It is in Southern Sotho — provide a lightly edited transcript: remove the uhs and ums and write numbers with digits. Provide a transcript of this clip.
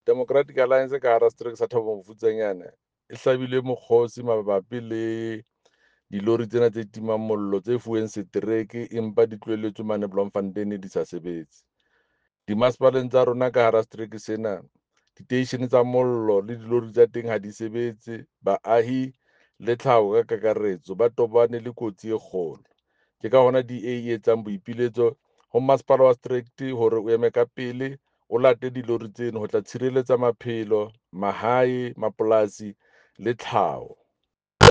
Democratic Alliance ka hara setereke sa Thabo Mofutsanyana e hlabile mokgosi mabapi le dilori tsena tse timang mollo tse fuweng setereke empa di tlohelletswe mane Bloemfontein di sa sebetse. Dimasepaleng tsa rona ka hara setereke sena, diteishene tsa mollo le dilori tsa teng ha di sebetse. Baahi le tlhaho ka kakaretso ba tobane le kotsi e kgolo. Ke ka hona DA e etsang boipiletso ho masepala wa setereke hore o eme ka pele o late dilori tseno ho tla tshireletsa maphelo, mahae, mapolasi le tlhaho.